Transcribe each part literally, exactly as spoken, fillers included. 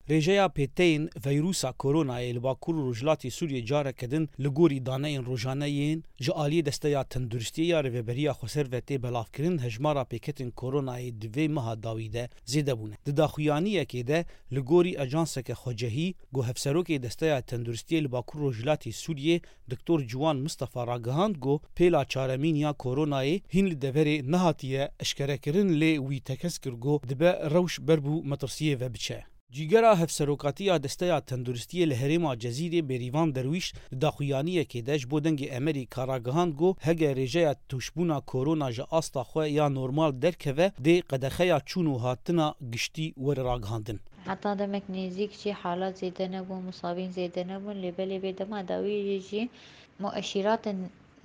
Rêjeya pêteyên veyrusa koronayê li Bakur û Rojhilatê Sûriyê careke din li gorî daneyên rojane yên ji aliyê Desteya Tenduristiyê ya Rêveberiya Xweser ve tê belavkirin, hejmara pêketên koronayê di vê meha dawî de zêde bûne. Di daxuyaniyekê de li gorî ajanseke xwecehî ku hevserokê Desteya Tenduristiyê li Bakur Rojhilatê Sûriyê Doktor Ciwan Mistefa ragihand ku pêla çaremîn ya koronayê hîn li deverê nehatiye eşkerekirin, lê wî tekez kir ku dibe rewş ber bû metirsiyê ve biçe. Cîgera Hevserokatiya Desteya Tenduristiyê li herêma Cezîrê Bêrîvan Derwîş di daxuyaniyekê de ji bo Dengê Emerîka ragihand ku hege rêjeya tûşbûna korona ji asta xwe ya normal derkeve, dê qedexeya çûn û hatina giştî were ragihandin. Heta demek nêzîk jî halat zêde nebûn, misabîn zêde nebûn, lê belê vê dema dawiyê jî mueşîratin,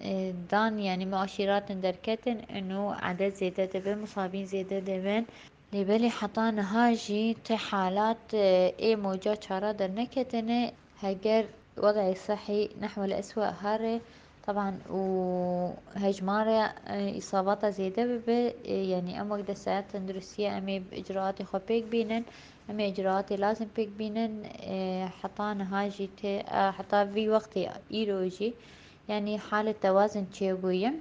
e, dan, yanî mueşîratin derketin, û edet zêde dibe, misabîn zêde dibin. Lê belê heta niha jî ti halat, e, ê moca çara derneketine. Heger wed'ê sehî nehwel eswe here, teban û hejmara, e, îsabata zêde bibe, e, yanî em wek desteya tenduristiyê em ê icraatê xwe pêk bînin, em ê icraatê lazim pêk bînin, e, heta niha jî tê, e, heta vî wextê îro jî, yanî halê tewazin çêbûye.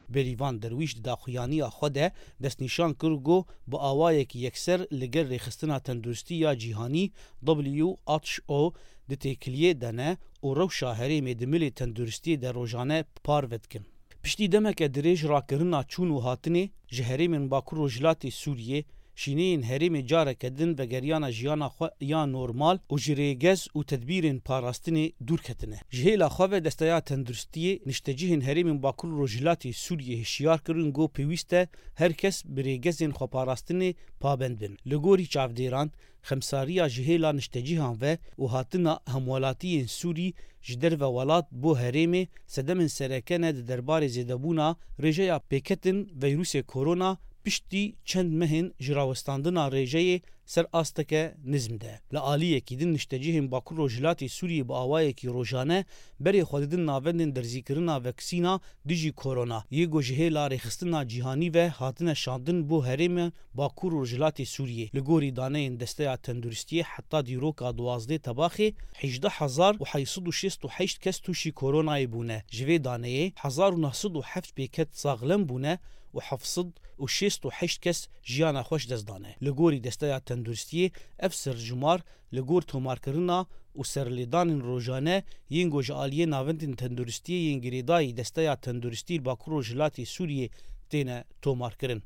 Berîvan Derwîş di daxuyaniya xwe de destnîşan kir ku bi awayekî yekser li gel Rêxistina Tenduristî ya Cîhanî, W H O, di têkiliyê de ne û rewşa herêmê di milê tenduristiyê de rojane parve dikin. Piştî demeke dirêj rakirina çûn û hatinê ji herêmên Bakur Rojhilatê Sûriyê, şîneyên herêmê careke din vegeriyana jiyana xwe ya normal û ji rêgez û tedbîrên parastinê dûr ketine. Ji hêla xwe ve Desteya Tenduristiyê niştecihên herêmên Bakur û Rojhilatê Sûriyê hişyar kirin ku pêwîst e her kes bi rêgezên xweparastinê pabend bin. Li gorî çavdêran, xemsariya ji hêla niştecihan ve û hatina hemwelatiyên Sûrî ji derve welat bo herêmê sedemên sereke ne di derbarê zêdebûna rêjeya pêketin veyrûsê korona piştî çend mehên ji rawestandina rêjeyê ser asteke nizm de. Li aliyekî din niştecihên Bakur Rojhilatê Sûriyê bi awayekî rojane berê xwe didin navendên derzîkirina veksîna dijî korona, yê ku ji hêla rêxistina cîhanî ve hatine şandin bo herêmên Bakur û Rojhilatê Sûriyê. Li gorî daneyên Desteya Tenduristiyê heta dîroka duwazdeh Tebaxê hejdeh hezar û heyt sed û şêst û heşt kes tûşî koronayê bûne. Ji vê daneyê hezar û neh sed û heft pêket saxlem bûne û heft sed û şêst û heşt kes jiyana xwe ji dest dane. Li gorî Desteya Tenduristiyê ev serjimar li gor tomarkirina û serlêdanên rojane yên ku ji aliyê navendên tenduristiyê yên girêdayî Desteya Tenduristî li Bakur Rojhilatê Sûriyê têne tomarkirin.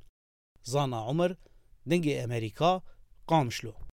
Zana Omer, Dengê Emerîka, Qamişlo.